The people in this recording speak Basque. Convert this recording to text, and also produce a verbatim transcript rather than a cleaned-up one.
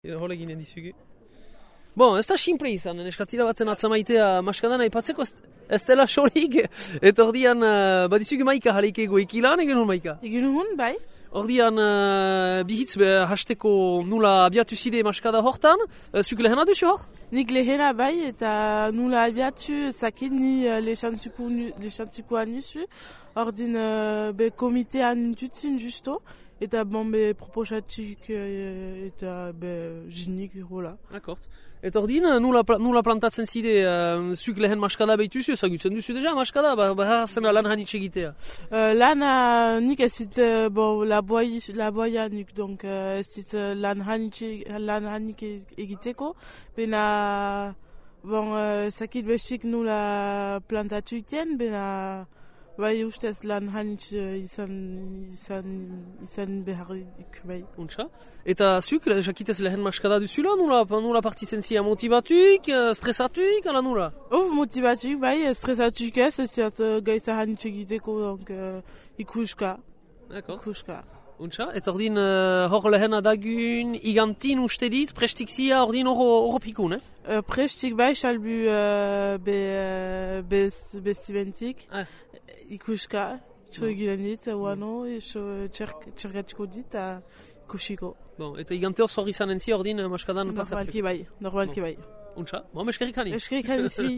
Hola ginen dizugu. Bon, ez da simple izan, neskatzira batzen atzamaitea maskadan aipatzeko ez, ez dela solik, eta ordian uh, badizugu maika jaleikego ikilan egin hon maika? Egin hon, bai. Ordian uh, bihitz uh, hasteko nula abiatu zide maskada hortan, uh, zuk lehena duzu hor? Nik lehena bai, eta nula abiatu zakit ni uh, lexantzikoa nuzu, ordin uh, be komitean nintutzin justo, eta bon be proposatik uh, eta be jinik hola. Akort. Eta ordin nula, nula plantatzen zide uh, zuk lehen maskada behituzu, ezagutzen duzu deja maskada, behar zena lan hanitz egitea? Uh, lana nik ez zit, uh, bon, la boia nik, donc uh, ez zit uh, lan hanik egiteko, bena, bon, uh, zakit bestik nula plantatu iten, bena, bai ustez lan hanitz izan, izan, izan beharrik, bai. Untsa? Eta zuk, jakitez lehen maskada duzula, nula, nula partitzen zia motivatuik, stresatuik, ala nula? Oh, motivatuik, bai, stresatuik ez, ez ziat uh, gaitza hanitz egiteko, donc uh, ikuska. D'accord. Ikuska. Untsa? Eta ordin uh, hor lehen adagun igantin uste dit, prestik zia ordin hor pikun, eh? Uh, prestik bai, salbu uh, be, uh, bez, bestibentik. Ah. Ikuska, txo egilen dit, uano, txergatiko dit, ikusiko. Bon, eta igante hor zorri zanen zi ordin maskadan? Normalki bai, normalki bai. Untsa? Bon, eskerrik hani? Eskerrik hani zi.